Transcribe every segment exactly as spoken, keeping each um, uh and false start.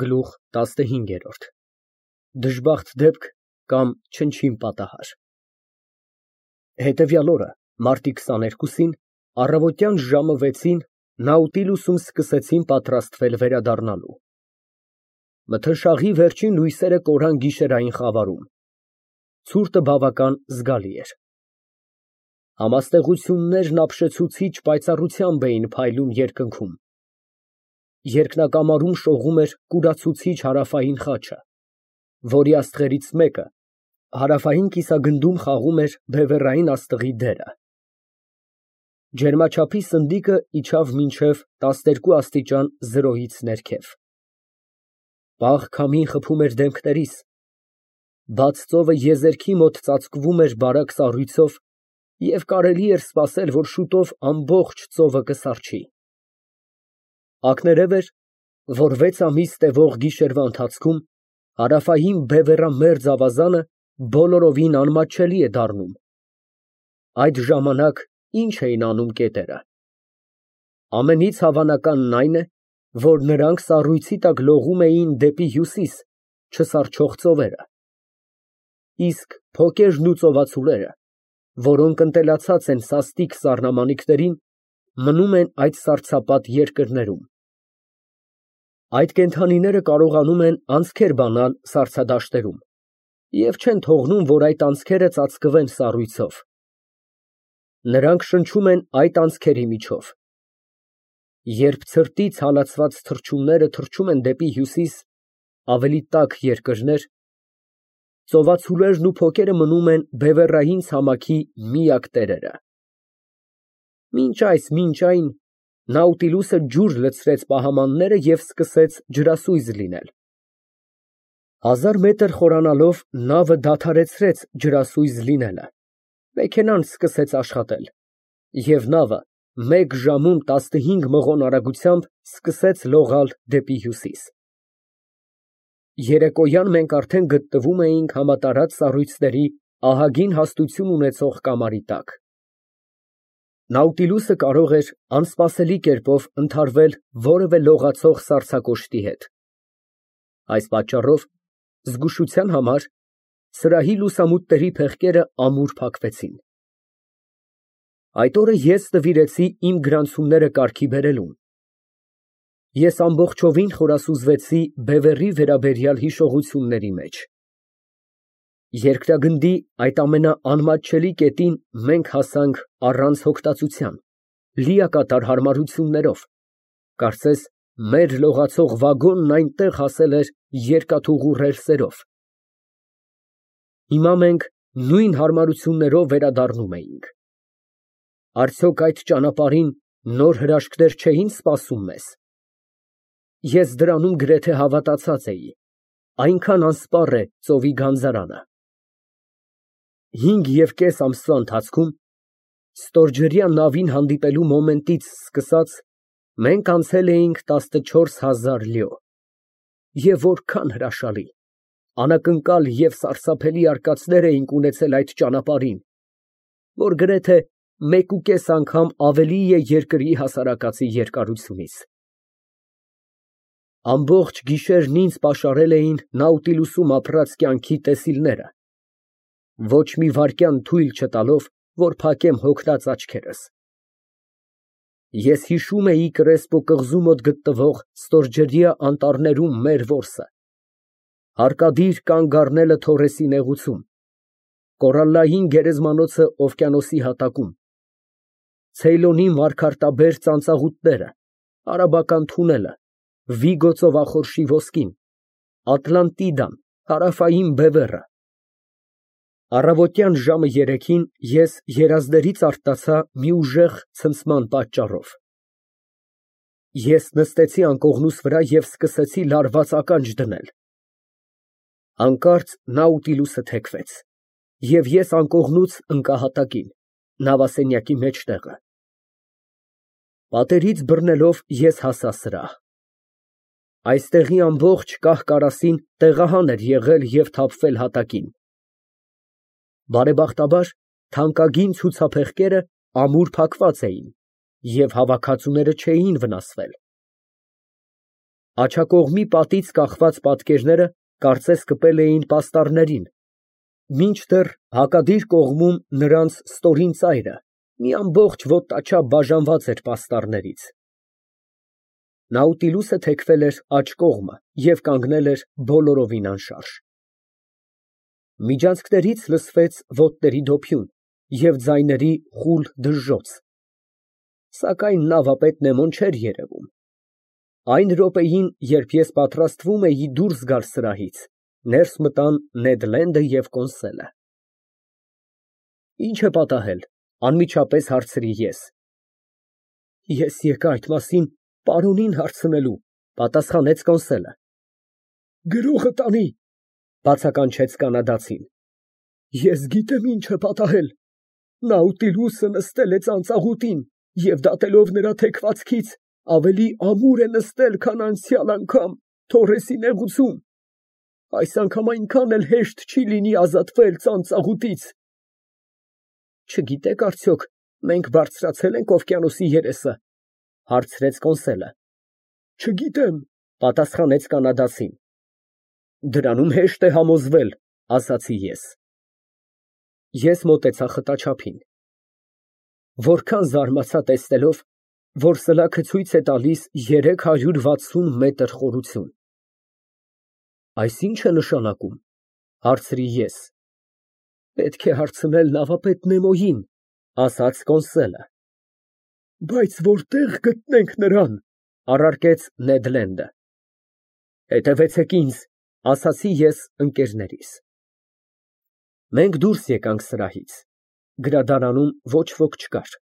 Գլուխ տասնհինգ Դժբախտ դեպք կամ չնչին պատահար Հետևյալ օրը մարտի քսաներկուսին առավոտյան ժամը վեցին Նաուտիլուսում սկսեցին պատրաստվել վերադառնալու։ Մթնշաղի վերջին լույսերը կորան գիշերային խավարում։ Ցուրտը բավական զգալի էր։ Համաստեղություններն ապշեցուցիչ պայծառությամբ էին փայլում երկնքում։ Երկնակամարում շողում էր կուրացուցիչ հարավային խաչը, որի աստղերից մեկը հարավային կիսագնդում խաղում էր բևեռային աստղի դերը։ Ջերմաչափի սնդիկը իջավ մինչև տասներկու աստիճան զրոյից ներքև։ Պաղ քամին խփում էր դեմքներիս, բաց ծովը եզերքի մոտ ծածկվում էր բարակ սառույցով և կարելի էր սպասել, որ շուտով ամբողջ ծովը կսառչի։ Ակներև էր, որ վեց ամիս տևող գիշերվա ընթացքում հարավային բևեռամերձ ավազանը բոլորովին անմատչելի է դառնում։ Այդ ժամանակ ի՞նչ էին անում կետերը։ Ամենից հավանականն այն է, որ նրանք սառույցի տակ լողում էին դեպի հյուսիս չսառչող ծովերը։ Իսկ փոկերն ու ծովացուլերը, որոնք ընտելացած են սաստիկ սառնամանիքներին, մնում են այդ սառցապատ երկրներում։ Այդ կենդանիները կարողանում են անցքեր բանալ սառցադաշտերում և չեն թողնում, որ այդ անցքերը ծածկվեն սառույցով։ Նրանք շնչում են այդ անցքերի միջով։ Երբ ցրտից հալածված թռչունները թռչում են դեպի հյուսիս, ավելի տաք երկրներ, ծովացուլերն ու փոկերը մնում են բևեռային ցամաքի միակ տերերը։ Մինչ այս, մինչ այն, Նաուտիլուսը ջուր լցրեց պահամանները և սկսեց ջրասույզ լինել։ Հազար մետր խորանալով նավը դադարեցրեց ջրասույզ լինելը, մեքենան սկսեց աշխատել, և նավը մեկ ժամում տասնհինգ մղոն արագությամբ սկսեց լողալ դեպի հյուսիս։ Երեկոյան մենք արդեն գտնվում էինք համատարած սառույցների ահագին հաստություն ունեցող կամարի տակ։ Նաուտիլուսը կարող էր անսպասելի կերպով ընդհարվել որևէ լողացող սառցակոշտի հետ։ Այս պատճառով, զգուշության համար, սրահի լուսամուտների փեղկերը ամուր փակվեցին։ Այդ օրը ես նվիրեցի իմ գրանցումները կարգի բերելուն։ Ես ամբողջովին խորասուզվեցի բևեռի վերաբերյալ հիշողությունների մեջ։ Երկրագնդի այդ ամենաանմատչելի կետին մենք հասանք առանց հոգտածության, լիակատար հարմարություններով, կարծես մեր լողացող վագոնն այնտեղ հասել էր երկաթուղու ռելսերով։ Հիմա մենք նույն հարմարություններով վերադառնում էինք։ Արդյոք այդ ճանապարհին նոր հրաշքներ չէին սպասում մեզ։ Ես դրանում գրեթե հավատացած էի, այնքան անսպառ է ծովի գանձարանը։ Հինգ և կես ամսվա ընթացքում, ստորջրյա նավին հանդիպելու մոմենտից սկսած, մենք անցել էինք տասնչորս հազար լյո։ Եվ որքան հրաշալի, անակնկալ և սարսափելի արկածներ էինք ունեցել այդ ճանապարհին, որ գրեթե մեկուկես անգամ ավելի է երկրի հասարակածի երկարությունից։ Ամբողջ գիշերն ինձ պաշարել էին Նաուտիլուսում ապրած կյանքի տեսիլները, ոչ մի վայրկյան թույլ չտալով, որ փակեմ հոգնած աչքերս։ Ես հիշում էի Կրեսպո կղզու մոտ գտնվող ստորջրյա անտառներում մեր որսը, հարկադիր կանգ առնելը Թորեսի նեղուցում, կորալլային գերեզմանոցը օվկիանոսի հատակում, Ցեյլոնի մարգարտաբեր ծանծաղուտները, արաբական թունելը, Վիգո ծովախորշի ոսկին, Ատլանտիդան, Հարավային բևեռը։ Առավոտյան ժամը երեքին ես երազներից արթնացա մի ուժեղ ցնցման պատճառով։ Ես նստեցի անկողնուս վրա և սկսեցի լարված ականջ դնել։ Հանկարծ Նաուտիլուսը թեքվեց, և ես անկողնուց ընկա հատակին, նավասենյակի մեջտեղը։ Պատերից բռնելով ես հասա սրահ։ Այստեղի ամբողջ կահ֊կարասին տեղահան էր եղել և թափվել հատակին։ Բարեբախտաբար, թանկագին ցուցափեղկերը ամուր փակված էին, և հավաքածուները չէին վնասվել։ Աջակողմի պատից կախված պատկերները կարծես կպել էին պաստառներին, մինչդեռ հակադիր կողմում նրանց ստորին ծայրը մի ամբողջ ոտնաչափ բաժանված էր պաստառներից։ Նաուտիլուսը թեքվել էր աջ կողմը և կանգնել էր բոլորովին անշարժ։ Միջանցքներից լսվեց ոտների դոփյուն և ձայների խուլ դժժոց, սակայն նավապետ Նեմոն չէր երևում։ Այն րոպեին, երբ ես պատրաստվում էի դուրս գալ սրահից, ներս մտան Նեդ Լենդը և Կոնսելը։ «Ի՞նչ է պատահել, ֊ անմիջապես հարցրի ես։ ֊ Ես եկա այդ մասին պարոնին հարցնելու, ֊ պատասխանեց Կոնսելը։ ֊ Գրողը տանի, ֊ բացականչեց կանադացին։ ֊ Ես գիտեմ ինչ է պատահել. Նաուտիլուսը նստել է ծանծաղուտին և դատելով նրա թեքվածքից, ավելի ամուր է նստել, քան անցյալ անգամ Թորեսի նեղուցում, այս անգամ այնքան էլ հեշտ չի լինի ազատվել ծանծաղուտից։ ֊ Չգիտեք արդյոք մենք բարձրացե՞լ ենք օվկիանոսի երեսը, ֊ հարցրեց Կոնսելը։ ֊ Չգիտեմ, ֊ պատասխանեց կանադացին։ ֊ Դրանում հեշտ է համոզվել, ֊ ասացի ես։ Ես մոտեցա խտաչափին։ Որքան զարմացա տեսնելով, որ սլաքը ցույց է տալիս երեք հարյուր վաթսուն մետր խորություն։ ֊ Այս ի՞նչ է նշանակում, ֊ հարցրի ես։ ֊ Պետք է հարցնել նավապետ Նեմոյին, ֊ ասաց Կոնսելը։ ֊ Բայց որտե՞ղ գտնենք նրան, ֊ առարկեց Նեդ Լենդը։ ֊ Հետևեցեք ինձ, ֊ ասացի ես ընկերներիս։ Մենք դուրս եկանք սրահից։ Գրադարանում ոչ ոք չկար։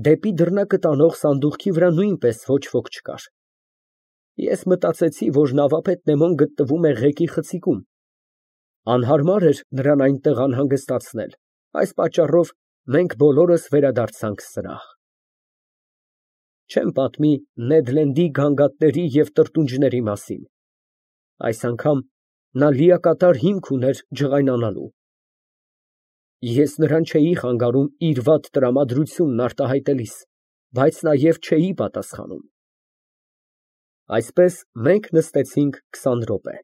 Դեպի դռնակը տանող սանդուղքի վրա նույնպես ոչ ոք չկար։ Ես մտածեցի, որ նավապետ Նեմոն գտնվում է ղեկի խցիկում։ Անհարմար էր նրան այնտեղ անհանգստացնել, այս պատճառով մենք բոլորս վերադարձանք սրահ։ Չեմ պատմի Նեդ Լենդի գանգատների և տրտունջների մասին։ Այս անգամ նա լիակատար հիմք ուներ ջղայնանալու։ Ես նրան չէի խանգարում իր վատ տրամադրությունն արտահայտելիս, բայց նաև չէի պատասխանում։ Այսպես մենք նստեցինք քսան րոպե,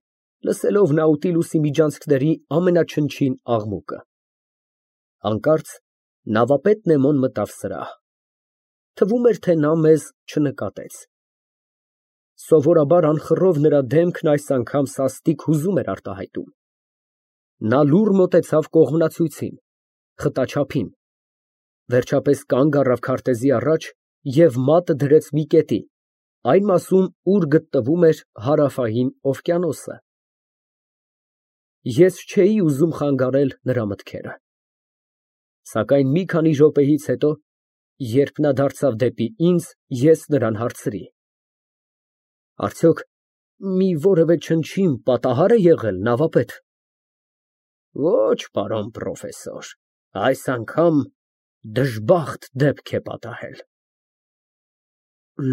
լսելով Նաուտիլուսի միջանցքների ամենաչնչին աղմուկը։ Հանկարծ նավապետ Նեմոն մտավ սրահ։ Թվում էր, թե նա մեզ չնկատեց։ Սովորաբար անխռով նրա դեմքն այս անգամ սաստիկ հուզում էր արտահայտում։ Նա լուռ մոտեցավ կողմնացույցին, խտաչափին, վերջապես կանգ առավ քարտեզի առաջ և մատը դրեց մի կետի, այն մասում, ուր գտնվում էր Հարավային օվկիանոսը։ Ես չէի ուզում խանգարել նրա մտքերը։ Սակայն մի քանի րոպեից հետո, երբ նա դարձավ դեպի ինձ, ես նրան հարցրի. ֊ Արդյոք մի որևէ չնչին պատահա՞ր է եղել, նավապետ։ ֊ Ոչ, պարոն պրոֆեսոր, այս անգամ դժբախտ դեպք է պատահել։ ֊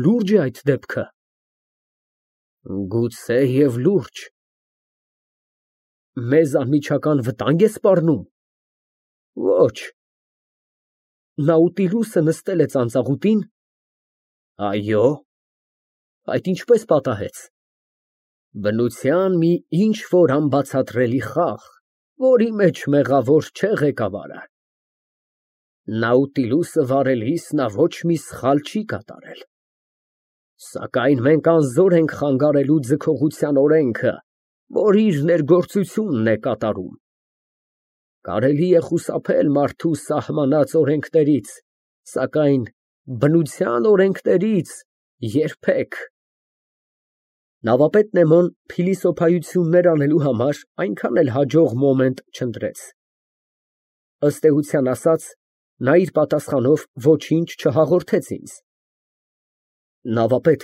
Լուրջ է այդ դեպքը։ ֊ Գուցե և լուրջ։ ֊ Մեզ անմիջական վտա՞նգ է սպառնում։ ֊ Ոչ։ ֊ Նաուտիլուսը նստել է ծանծաղուտի՞ն։ ֊ Այո։ ֊ Այդ ինչպե՞ս պատահեց։ ֊ Բնության մի ինչ֊որ անբացատրելի խաղ, որի մեջ մեղավոր չէ ղեկավարը։ Նաուտիլուսը վարելիս նա ոչ մի սխալ չի կատարել։ Սակայն մենք անզոր ենք խանգարելու ձգողության օրենքը, որ իր ներգործությունն է կատարում։ Կարելի է խուսափել մարդու սահմանած օրենքներից, սակայն բնության օրենքներից երբեք։ Նավապետ Նեմոն փիլիսոփայություններ անելու համար այնքան էլ հաջող մոմենտ չընտրեց։ Ըստ էության ասած, նա իր պատասխանով ոչինչ չհաղորդեց ինձ։ Նավապետ,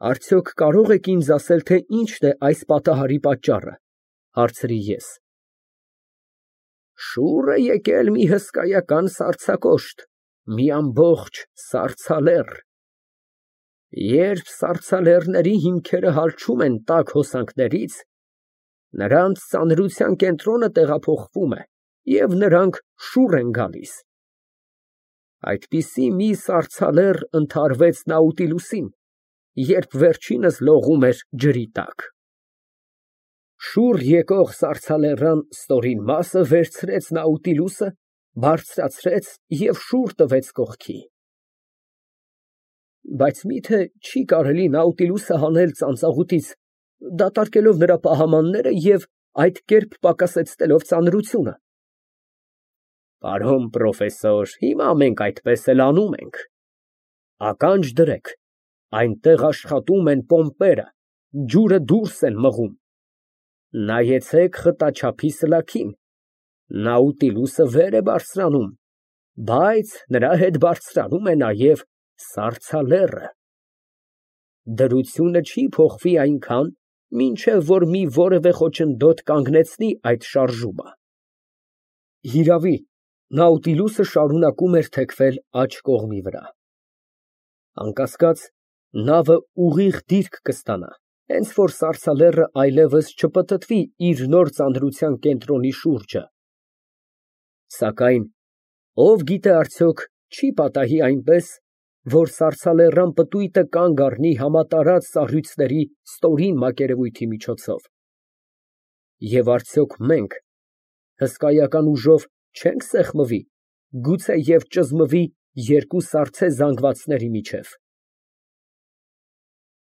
արդյոք կարող եք ինձ ասել, թե ինչն է այս պատահարի պատճառը, ֊ հարցրի ես։ Շուռ է եկել մի հսկայական սառցակոշտ, մի ամբողջ սառցալեռ։ Երբ սառցալեռների հիմքերը հալչում են տաք հոսանքներից, նրանց ծանրության կենտրոնը տեղափոխվում է, և նրանք շուռ են գալիս։ Այդպիսի մի սառցալեռ ընդհարվեց Նաուտիլուսին երբ վերջինս լողում էր ջրի տակ։ Շուռ եկող սառցալեռան ստորին մասը վերցրեց Նաուտիլուսը, բարձրացրեց և շուռ տվեց կողքի։ Բայց մի՞թե չի կարելի Նաուտիլուսը հանել ծանծաղուտից, դատարկելով նրա պահամանները և այդ կերպ պակասեցնելով ծանրությունը։ Պարոն պրոֆեսոր, հիմա մենք այդպես էլ անում ենք։ Ականջ դրեք, այնտեղ աշխատում են պոմպերը, ջուրը դուրս են մղում։ Նայեցեք խտաչափի սլաքին, Նաուտիլուսը վեր է բարձրանում, բայց նրա հետ բարձրանում է նաև սառցալեռը։ Դրությունը չի փոխվի այնքան, մինչև որ մի որևէ խոչընդոտ կանգնեցնի այդ շարժումը։ Հիրավի, Նաուտիլուսը շարունակում էր թեքվել աջ կողմի վրա։ Անկասկած, նավը ուղիղ դիրք կստանա, հենց որ սառցալեռը այլևս չպտտվի իր նոր ծանրության կենտրոնի շուրջը։ Սակայն ով գիտե արդյոք չի պատահի այնպես, որ սառցալեռան պտույտը կանգ առնի համատարած սառույցների ստորին մակերևույթի միջոցով։ Եվ արդյոք մենք հսկայական ուժով չե՞նք սեղմվի, գուցե և ճզմվի երկու սառցե զանգվածների միջև։